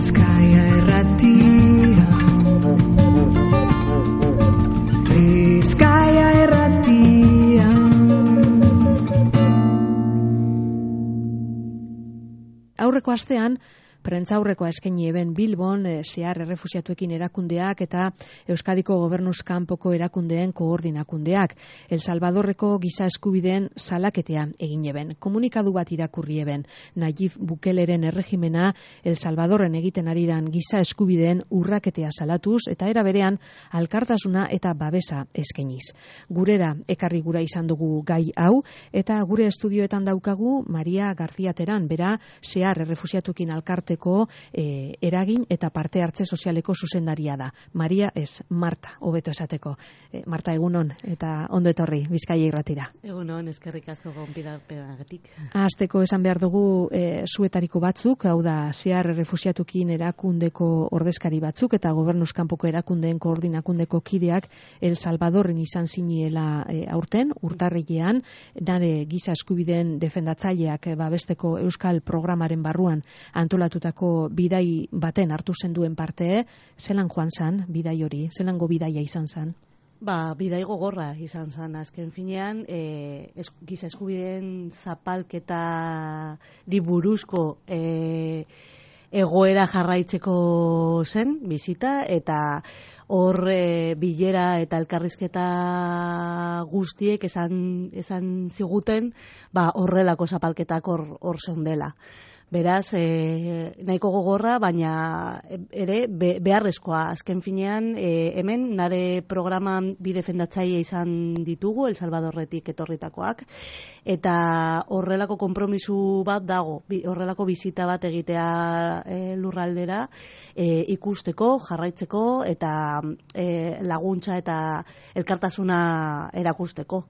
Bizkaia Irratia. Bizkaia Irratia. Aurreko astean prentsaurrekoa eskaini eben Bilbon zehar errefuxiatuekin erakundeak eta Euskadiko Gobernuz kanpoko erakundeen koordinakundeak. El Salvadorreko giza eskubideen salaketea egin eben. Komunikadu bat irakurri eben. Nayib Bukeleren erregimena El Salvadorren egiten ari dan giza eskubideen urraketea salatuz eta era berean alkartasuna eta babesa eskainiz. Gurera ekarri gura izan dugu gai hau eta gure estudioetan daukagu Maria García Terán, bera zehar errefuxiatuekin alkarte eragin eta parte hartze sozialeko zuzendaria da. Maria ez, Marta, hobeto esateko. Marta, egunon, eta ondo etorri, Bizkaia Irratira. Egunon, eskerrik asko gonbidapenagatik. Hasteko esan behar dugu zuetariko batzuk, hau da, zehar errefuxiatukin erakundeko ordezkari batzuk eta Gobernuz kanpoko erakundeen koordinakundeko kideak El Salvadorren izan ziniela aurten, urtarrilean, nare giza eskubideen defendatzaileak babesteko Euskal programaren barruan antolatu bidai baten hartu zenduen parte, zelan joan zan, bidai hori, zelango bidaia izan zan? Bidai gogorra izan zan, azken finean, giza eskubideen zapalketa buruzko egoera jarraitzeko zen, bizita, eta hor bilera eta elkarrizketa guztiek esan ziguten, horrelako zapalketak hor zondela. Beraz, nahiko gogorra, baina ere beharrezkoa. Azken finean, hemen nare programan bi defendatzaile izan ditugu, El Salvadorretik etorritakoak, eta horrelako konpromisu bat dago, horrelako bizita bat egitea lurraldera, ikusteko, jarraitzeko, eta laguntza eta elkartasuna erakusteko.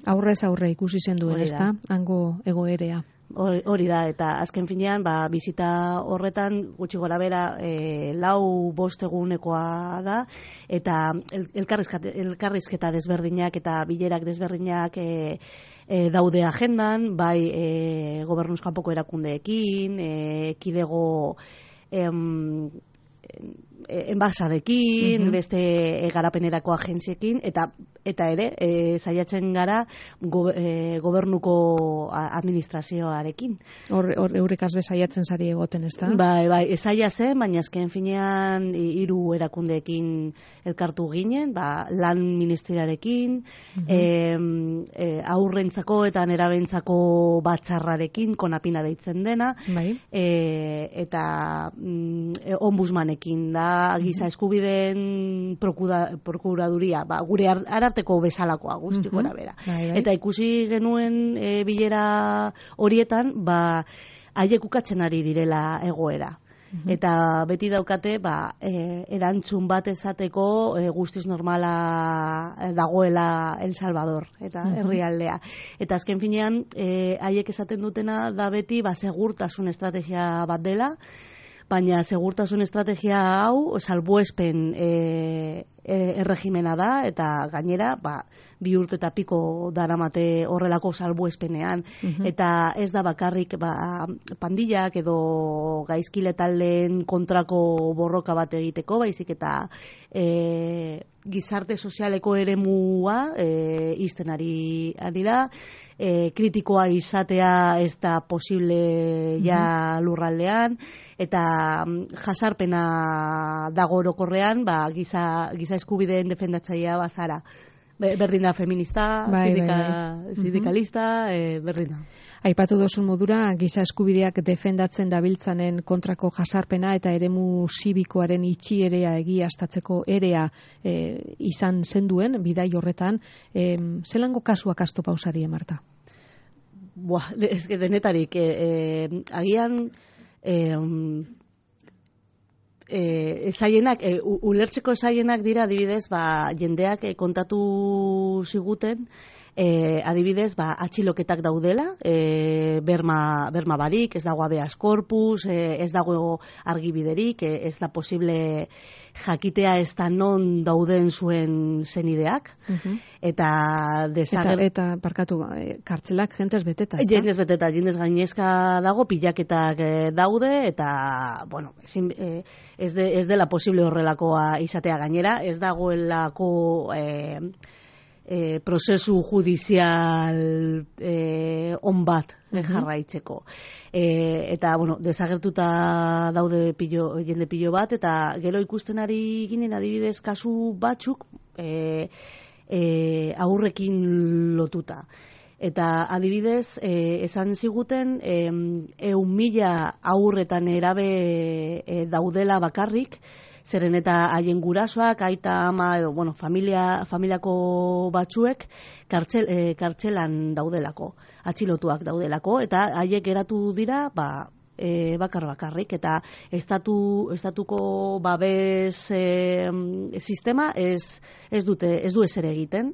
Aurrez aurre ikusi zen duen, ezta? Hango egoerea. Hori da, eta azken finean, bizita horretan gutxi gora bera 4-5 egunekoa da, eta elkarrizketa desberdinak eta bilerak desberdinak daude agendan, bai Gobernuz kanpoko erakundeekin, kidego enbasadekin, beste garapenerako agentziekin, eta ere, saiatzen gara gobernuko administrazioarekin. Hor eurekaz saiatzen zari egoten, ez da? Bai, saia zen, baina azken finean 3 erakundeekin elkartu ginen, lan ministeriarekin, aurrentzako eta nerabentzako batzarrarekin, konapina deitzen dena, eta ombudsmanekin da, giza eskubideen prokuraduria, gure ararteko bezalakoa guzti gora bera. Eta ikusi genuen bilera horietan, haiek ukatzen ari direla egoera. Eta beti daukate, erantzun bat ezateko guztiz normala dagoela El Salvador, eta herrialdea. Eta azken finean, haiek esaten dutena da beti, segurtasun estrategia bat dela, baina segurtasun estrategia hau salbuespen erregimena da, eta gainera 2 urte eta piko daramate horrelako salbuespenean, eta ez da bakarrik pandillak edo gaizkile taldeen kontrako borroka bat egiteko, baizik eta gizarte sozialeko eremua izten ari da, kritikoa izatea ez da posible ja lurraldean, eta jasarpena dago orokorrean, giza eskubideen defendatzailea bazara. Berdin da feminista, sindikalista, berdin da. Aipatu dozun modura, giza eskubideak defendatzen dabiltzanen kontrako jasarpena eta eremu zibikoaren itxierea egiaztatzeko erea izan zenduen, bidai horretan, zelango kasuak asto pausari, Marta? Ez denetarik, agian zaienak, ulertzeko zaienak dira, adibidez, jendeak kontatu ziguten, adibidez, atxiloketak daudela, berma barik, ez dago habeas corpus, ez dago argibiderik, ez da posible jakitea ez da non dauden zuen zenideak, eta parkatu, kartzelak jentez beteta, ez da? Jendez gainezka dago, pilaketak daude, eta, bueno, ez dela posible horrelakoa izatea gainera, ez dagoelako prozesu judizial on bat jarraitzeko. Eta, bueno, desagertuta daude jende pilo bat, eta gero ikusten ari ginen adibidez kasu batzuk aurrekin lotuta. Eta adibidez, esan ziguten 1.000 aurretan erabe daudela bakarrik, zeren eta haien gurasoak, aita, ama, edo, bueno, familiako batzuek kartzelan daudelako, atxilotuak daudelako, eta haiek geratu dira, bakarrik, eta estatuko babes sistema ez du ezer egiten,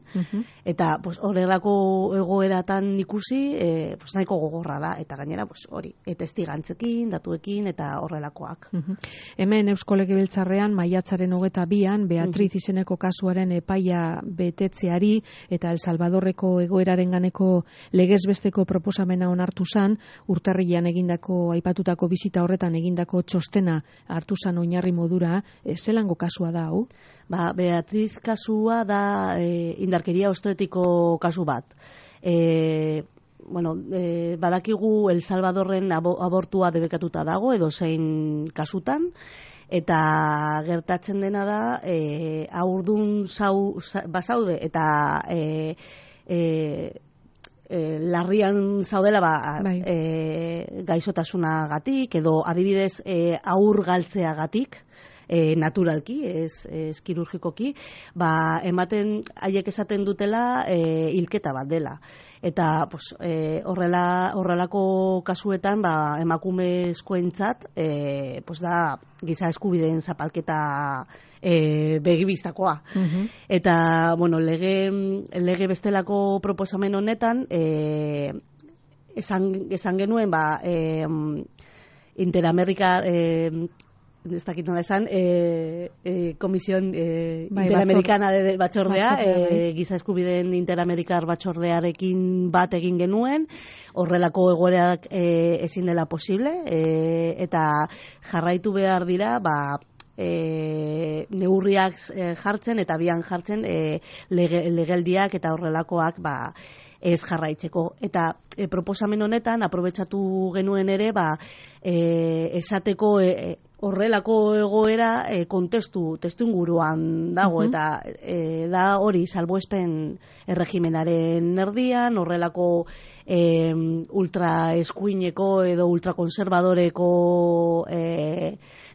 eta horrelako egoeratan ikusi nahiko gogorra da, eta gainera hori, testigantzekin, datuekin, eta horrelakoak. Hemen Eusko Legebiltzarrean maiatzaren 22an Beatriz izeneko kasuaren epaia betetzeari eta El Salvadorreko egoeraren ganeko legezbesteko proposamena onartu zan, urtarrilean egindako aipatutako bizita horretan egindako txostena hartu zan oinarri modura, zelango kasua da hau? Beatriz kasua da indarkeria obstetiko kasu bat. Badakigu El Salvadorren abortua debekatuta dago, edo zein kasutan, eta gertatzen dena da, haurdun bazaude, eta larrian zaudela gaixotasunagatik, edo adibidez haur galtzeagatik, naturalki, ez kirurgikoki, haiek esaten dutela hilketa bat dela. Eta horrelako kasuetan emakumezkoentzat da giza eskubideen zapalketa begibistakoa. Eta lege bestelako proposamen honetan esan genuen Interamerika ez dakit nola esan, Komisión Interamericana de Batzordea, giza eskubideen Interamerikar Batzordearekin bat egin genuen, horrelako egoerak ezin dela posible, eta jarraitu behar dira, neurriak jartzen eta bian jartzen legeldiak eta horrelakoak ez jarraitzeko. Eta proposamen honetan aprobetxatu genuen ere esateko horrelako egoera testu inguruan dago, eta da hori salbuespen erregimenaren erdian, horrelako ultraeskuineko edo ultrakonservadoreko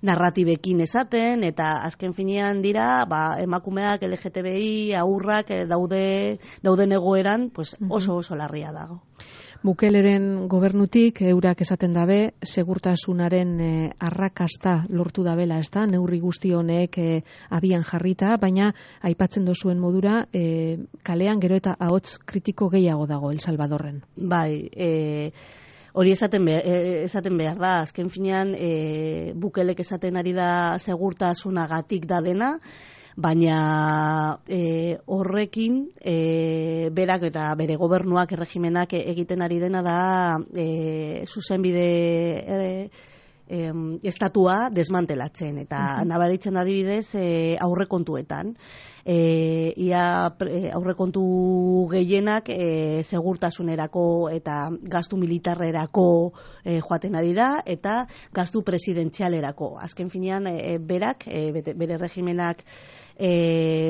narratibekin esaten, eta azken finean dira emakumeak, LGTBI, aurrak dauden egoeran oso larria dago. Bukeleren gobernutik eurak esaten dabe, segurtasunaren arrakasta lortu dabela, ez da, neurri guzti honek abian jarrita, baina aipatzen dozuen modura, kalean gero eta ahots kritiko gehiago dago El Salvadorren. Hori esaten behar da, azken finean Bukelek esaten ari da segurtasunagatik da dena, baina horrekin berak eta bere gobernuak, erregimenak egiten ari dena da zuzenbide estatua desmantelatzen, eta nabaritzen adibidez aurrekontuetan. Aurrekontu gehienak segurtasunerako eta gastu militarrerako joaten ari da, eta gastu presidentzialerako. Azken finean berak, bere regimenak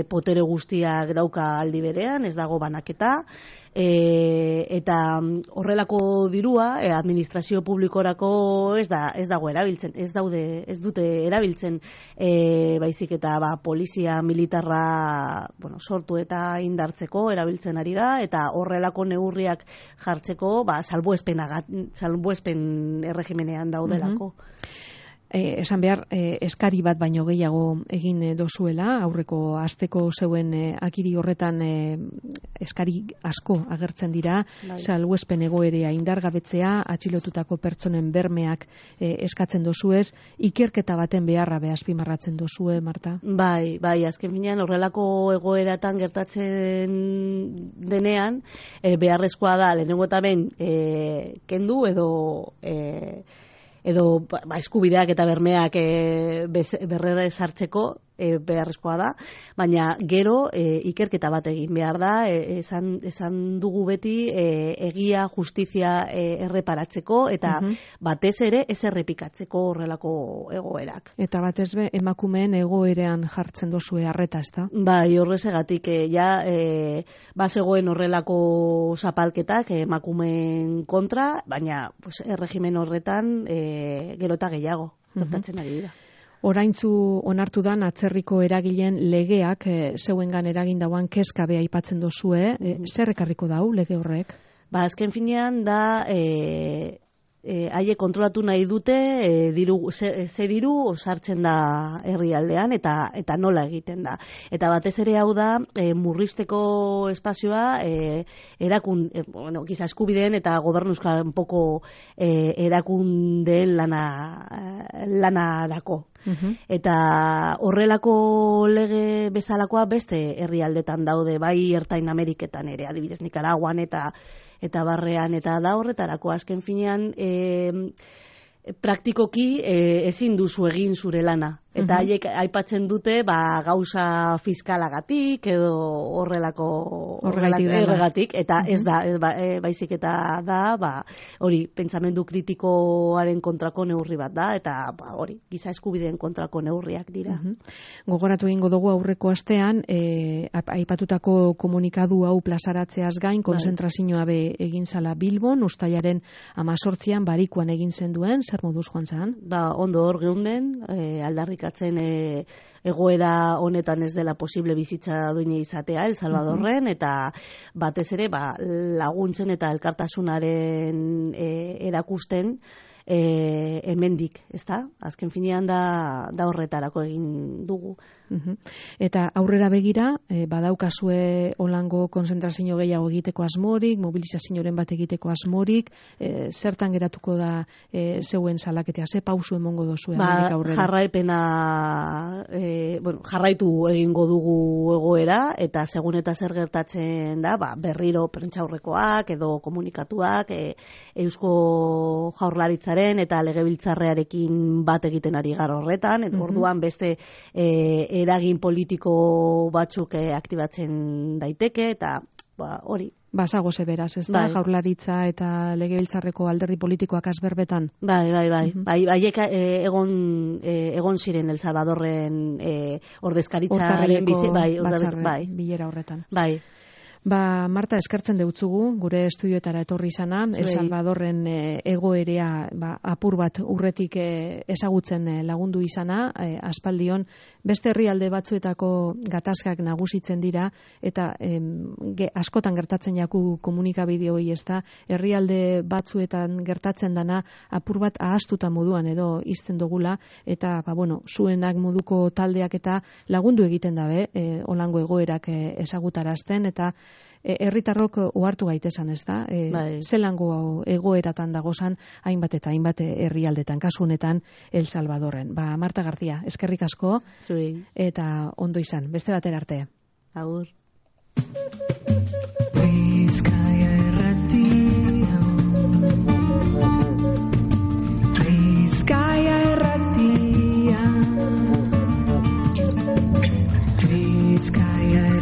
potere guztiak dauka aldi berean, ez dago banaketa, eta horrelako dirua administrazio publikorako ez dago erabiltzen, ez dute erabiltzen, baizik eta polizia militarra sortu eta indartzeko erabiltzen ari da, eta horrelako neurriak jartzeko salbuespen erregimenean daudelako. esan behar, eskari bat baino gehiago egin dozuela, aurreko asteko zeuen akiri horretan eskari asko agertzen dira, salbuespen egoerea indargabetzea, atxilotutako pertsonen bermeak eskatzen dozuez, ikerketa baten beharra azpimarratzen dozue, Marta? Bai, azken finean horrelako egoeratan gertatzen denean, beharrezkoa da, lehenengo eta ben, kendu edo eskubideak eta bermeak berrera sartzeko beharrezkoa da, baina gero ikerketa bat egin behar da, esan dugu beti egia, justizia erreparatzeko eta batez ere ez errepikatzeko horrelako egoerak. Eta batez be, emakumeen egoerean jartzen dozue arreta, ezta? Bai, horrezegatik bazegoen horrelako zapalketak emakumeen kontra, baina erregimen horretan gero eta gehiago gertatzen ari dira. Oraintzu onartu dan atzerriko eragileen legeak zeuengan eragin dauan kezka bea aipatzen dozue, zer ekarriko dau lege horrek? Azken finean da haiek kontrolatu nahi dute ze diru sartzen da herrialdean eta nola egiten da. Eta batez ere hau da murrizteko espazioa giza eskubideen eta gobernuzkanpoko erakundeen lanarako. Eta horrelako lege bezalakoa beste herrialdetan daude, bai Ertain Ameriketan ere, adibidez Nikaraguan eta barrean, eta da horretarako azken finean praktikoki ezin duzu egin zure lana. Eta haiek aipatzen dute gauza fiskalagatik edo horregatik, eta ez da, baizik eta da, hori, pentsamendu kritikoaren kontrako neurri bat da, eta hori, giza eskubideen kontrako neurriak dira. Gogoratu egingo dugu aurreko astean, aipatutako komunikadu hau plazaratzeaz gain, konzentrazioa egin zala Bilbon, ustailaren 18an barikuan egin zenduen, zer moduz joan zan? Ondo hor geunden, aldarrikatzen egoera honetan ez dela posible bizitza duine izatea El Salvadorren, eta batez ere laguntzen eta elkartasunaren erakusten hemendik, ezta? Azken finean da horretarako egin dugu. Eta aurrera begira, badaukazue holango konzentrazio gehiago egiteko asmorik, mobilizazioaren bat egiteko asmorik, zertan geratuko da zeuen salaketea, ze pausu emongo dozue aurrera? Jarraipena, jarraitu egingo dugu egoera, eta segun eta zer gertatzen da, berriro prentsaurrekoak edo komunikatuak, Eusko Jaurlaritzaren eta Legebiltzarrearekin bat egiten ari gara horretan, orduan beste eragin politiko batzuk aktibatzen daiteke, eta hori. Basago beraz, ez da, Jaurlaritza eta Legebiltzarreko alderdi politikoak azberbetan? Bai. Haiek egon ziren El Salvadorren ordezkaritzaren bilera horretan. Bai. Marta, eskertzen deutzugu, gure estudioetara etorri izana, El Salvadorren egoerea apur bat urretik ezagutzen lagundu izana, aspaldion, beste herrialde batzuetako gatazkak nagusitzen dira, eta askotan gertatzen jaku komunikabide hori, ez da, herrialde batzuetan gertatzen dana apur bat ahaztuta moduan edo izten dugula, eta, zuenak moduko taldeak eta lagundu egiten dabe, holango egoerak ezagutarazten, eta herritarrok ohartu gaitesan, ez da? Zelango egoeratan dagozan hainbat eta hainbat herrialdetan, kasu honetan El Salvadorren. Marta García, eskerrik asko, eta ondo izan, beste batera arte. Agur. Bizkaia Irratia, Bizkaia Irratia, Bizkaia